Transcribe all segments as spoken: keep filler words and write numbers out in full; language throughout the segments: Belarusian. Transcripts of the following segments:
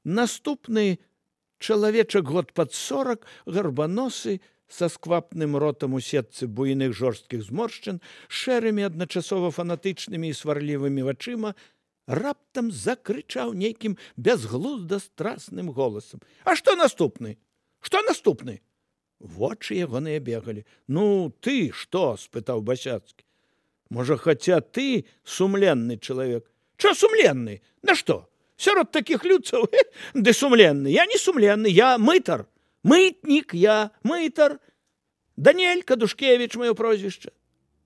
Наступны чалавечак год пад сорак, гарбаносы, са сквапным ротам у сетцы буйных жорсткіх зморшчын, шэрымі адначасова фанатычнымі і сварлівымі вачыма, раптам закрычаў нейкім бязглузда страсным голасам. А што наступны? Што наступны? Вочы ягоныя бегалі. Ну, ты што? — спытаў Басяцкі. Можа, хаця ты сумленны чалавек? Чо сумленны? На што? Сярод такіх людцаў? Ды сумленны. Я не сумленны, я мытар. Мытнік я, мытар. Даніэль Кадушкевіч, маё прозвішча.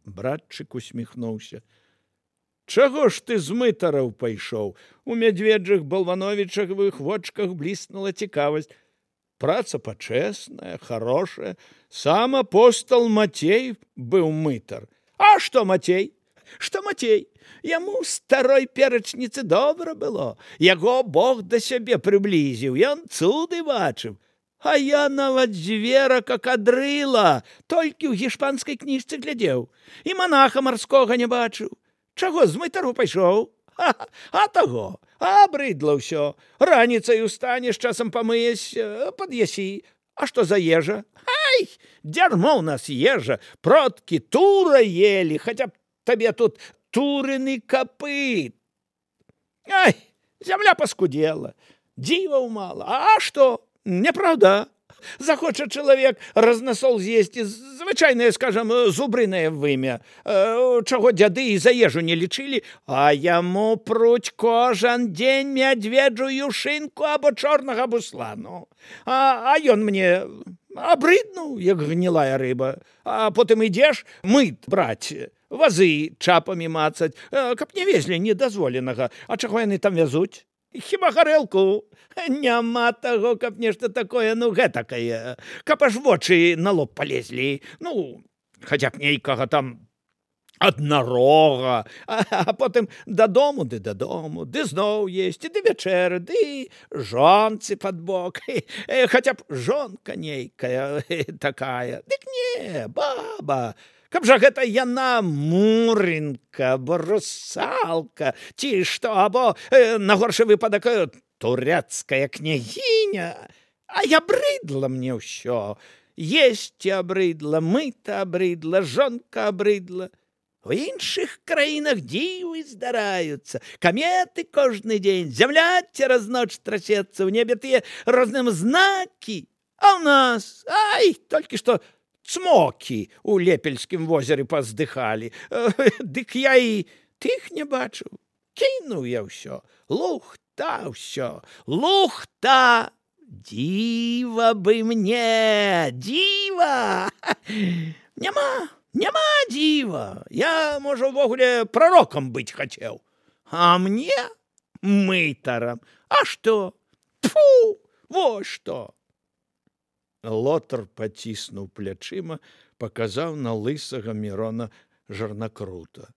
Братчык усміхнуўся. Чаго ж ты з мытараў пайшоў? У мядзведжых балвановічавых вочках бліснула цікавасць. Праца пачэсная, хорошая. Сам апостол Мацей быў мытар. А што Мацей? Што Мацей? Яму старой перачніцы добра было. Яго Бог да сябе прыблізіў, ён цуды бачыў. А я нават звера, как адрыла, толькі ў гішпанскай кніжцы глядзеў. І манаха марскога не бачыў. Чаго з мытару пайшоў? А, а таго, абрыдла ўсё. Раніцай устанеш, часам памыеш, пад'ясі. А што за ежа? Ай, дзярмо ў нас ежа. Продкі тура ели, хаця б табе тут турыны капыт. Ай, зямля паскудзела, дзіваў мала. А што? Неправда. Захоча чалавек разнасол з'есці, звычайнае, скажам, зубрынае вымя, чаго дзяды і за ежу не лічылі, а яму пруць кожан дзень мядзведжую шынку або чорнага буслану. А, а ён мне абрыднуў, як гнілая рыба. А потым ідзеш мыт браць, вазы чапамі мацаць, каб не везлі недазволенага. А чаго яны там вязуць? Хіба гарэлку? Няма таго, каб нешта такое, ну, гэтакае. Каб аж вочы на лоб палезлі. Ну, хаця б нейкага там аднарога. А, а потым дадому, ды дадому, ды зноў есці, ды вячэры, ды жонцы пад бок. Хаця б жонка нейкая такая. Дык не, баба. Каб жа гэта яна мурынка, або русалка, ці што, або, э, на горшы выпадак, э, турецкая княгіня. А я абрыдла мне ўсё. Есці абрыдла, мыта абрыдла, жонка абрыдла. У іншых краінах дзівы здараюцца, каметы кожны дзень, зямля цераз ноч трасецца, ў небе тыя розныя знакі. А ў нас, ай, толькі што цмокі у Лепельскім возеры паздыхалі. Дык я і тых не бачыў. Кінуў я ўсё. Лухта ўсё. Лухта! Дзіва бы мне! Дзіва! Няма! Няма дзіва! Я, можа, увогуле прарокам быць хацеў. А мне мытарам. А што? Тфу! Вось што! Лотар паціснуў плячыма, паказаў на лысага Мірона Жарнакрута.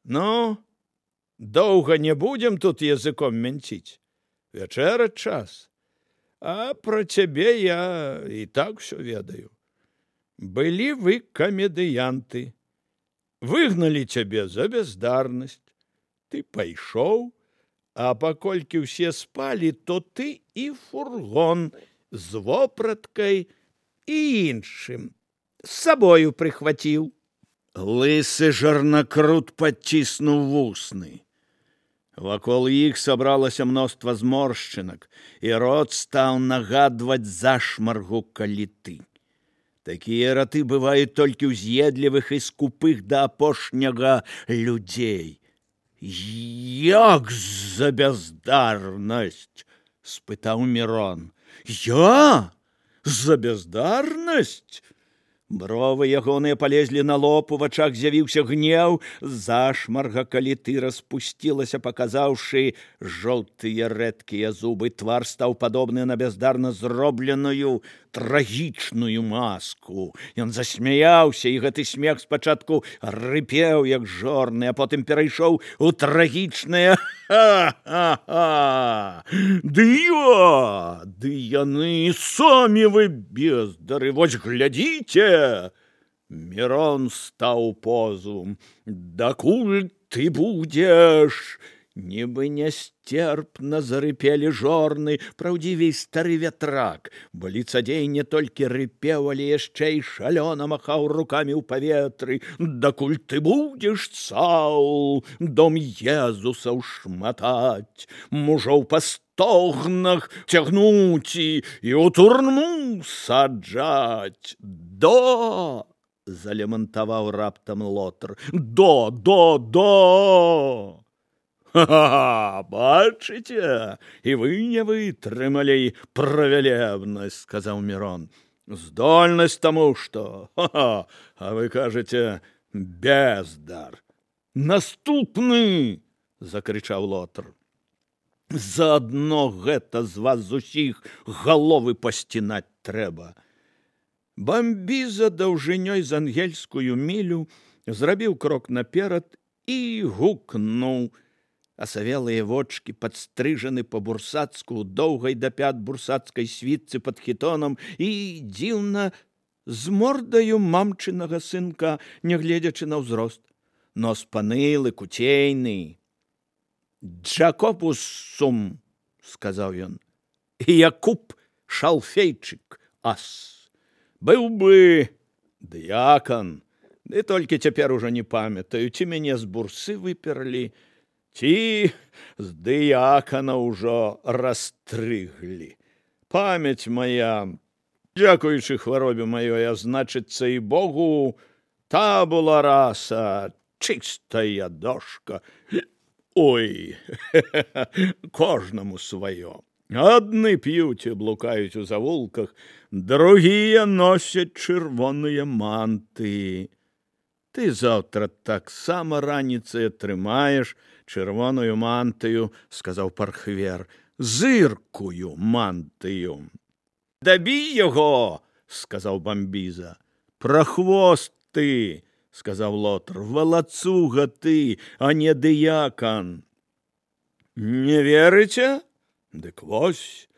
Ну, доўга не будзем тут языком мянціць. Вячэраць час. А пра цябе я і так усё ведаю. Былі вы камедыянты. Выгналі цябе за бяздарнасць. Ты пайшоў, а паколькі ўсе спалі, то ты і фургон з вопраткай і іншым з сабою прыхваціў. Лысы Жарнакрут падціснуў вусны. Вакол іх сабралася мноства зморшчынак, і рот стаў нагадваць зашмаргу каліты. Такія раты бываюць толькі ў з'едлівых і скупых да апошняга людзей. Як за бяздарнасць? — спытаў Мірон. Я? За бяздарнасць? Бровы ягоныя палезлі на лоб, у вачах з'явіўся гнеў, зашмарга каліты распусцілася, паказаўшы жоўтыя рэдкія зубы. Твар стаў падобны на бяздарна зробленую трагічную маску. Ён засмяяўся, і гэты смех спачатку рыпеў, як жорны, а потым перайшоў у трагічнае ха-ха-ха. Дыва! Ды яны самі вы бездары, вось глядзіце! Мірон стаў позу. Дакуль ты будзеш Нібы нястерпна зарыпелі жорны, праўдзівей стары вятрак, бо ліцадзей не толькі рыпеў, але яшчэ і шалёна махаў рукамі ў паветры. Дакуль ты будзеш цаў дом Езусаў шматаць, мужоў па стогнах цягнуць і ў турму саджаць. До! Залямантаваў раптам Лотар. До, до, до! «Ха-ха! Бачыце, і вы не вытрымалі правялебнасць», — сказаў Мірон. «Здольнасць таму, што, ха-ха, а вы кажаце, бездар». «Наступны!» — закрычаў Лотар. «Заадно гэта з вас усіх галовы пасцінаць трэба». Бамбіза даўжынёй з ангельскую мілю зрабіў крок наперад і гукнуў. Асавелыя вочки падстрыжаны па-бурсацку, доўгай да пят бурсацкай світцы пад хітонам і дзіўна з мордаю мамчынага сынка, нягледзячы на ўзрост. Нос панылы, куцейны. «Джакопус сум», — сказаў ён, — «і Якуб Шалфейчык, ас. Быў бы дыякан, ды толькі цяпер ужо не памятаю, ці мяне з бурсы выперлі, ці з дыякана ўжо растрыглі. Памяць моя, дзякуючы хваробе маёй, а значыцца і Богу, табула раса, чыстая дошка. Ой, кожнаму сваё. Адны п'юць і блукаюць у завулках, другія носяць чырвоныя манты. Ты заўтра таксама раніцай атрымаеш чырвоную мантыю, — сказаў Пархвер, — зыркую мантыю. «Дабі яго!» — сказаў Бамбіза. «Прахвост ты!» — сказаў Лотар. «Валацуга ты, а не дыякан». «Не верыце? Дык вось,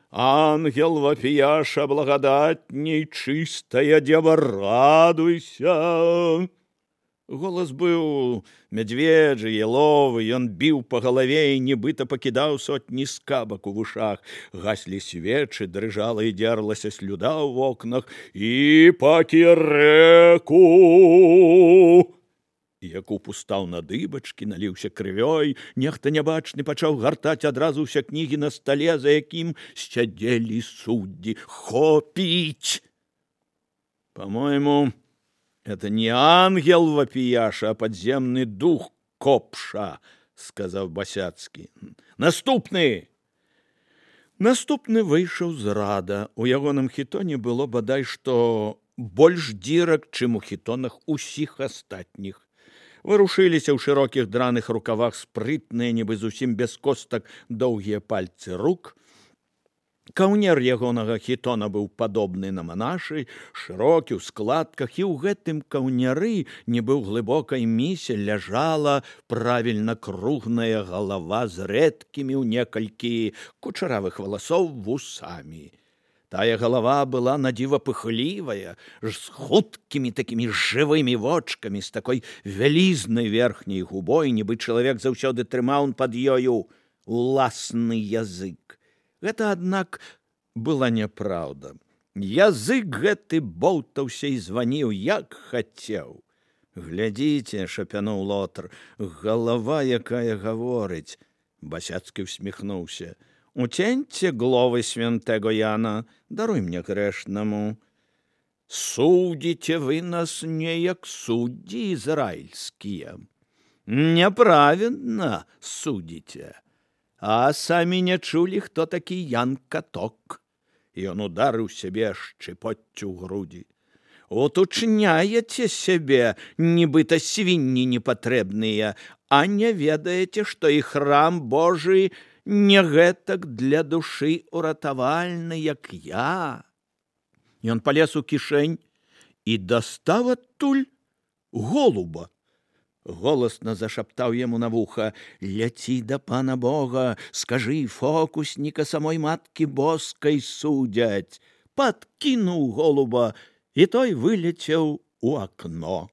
ангел вапіяша благадатней, чыстая дева, радуйся». Голас быў мядзведжы, яловы, ён біў па галаве і нібыта пакідаў сотні скабак у вушах. Гаслі свечы, дрыжала і дзерлася слюда ў вокнах. «І пакі рэку!» Якуб устаў на дыбачкі, наліўся крывёй. Нехта нябачны пачаў гартаць адразу ўсе кнігі на стале, за якім сядзелі суддзі. «Хопіць! По-мойму, это не ангел вапіяша, а подземный дух Копша», — сказаў Басяцкі. «Наступны!» Наступны выйшаў з рада. У ягоным хітоне было бадай што больш дзірак, чым у хітонах усіх астатніх. Варушыліся ў шырокіх драных рукавах спрытныя, нібы зусім без костак, доўгія пальцы рук. Каўнер ягонага хітона быў падобны на манашы, шырокі ў складках, і ў гэтым каўняры, нібы ў глыбокай місе, ляжала правільна круглая галава з рэдкімі ў некалькі кучаравых валасоў вусамі. Тая галава была надзіва пыхлівая, з хуткімі такімі жывымі вочкамі, з такой вялізнай верхняй губой, нібы чалавек заўсёды трымаў пад ёю уласны язык. Гэта, аднак, была няпраўда. Язык гэты боўтаўся і званіў, як хацеў. «Глядзіце», — шапянуў Лотар, — «галава, якая гаворыць». Басяцкі усміхнуўся. «Уценьце гловы святego Яна, даруй мне грэшнаму. Судзіце вы нас не як суддзі ізраільскія. Няправедна судзіце. А самі не чулі, хто такі Ян Каток». Ён ударыў сябе шчыпоццю ў грудзі. «Утучняеце сябе, нібыта свінні непатрэбныя, а не ведаеце, што і храм Божы не гэтак для душы уратавальны, як я». Ён палез у кішэнь і дастаў адтуль голуба. Голасна зашаптаў яму на вуха: «Ляці да пана Бога, скажы, фокусніка самой маткі боскай судзяць». Падкінуў голуба, і той вылецеў у акно.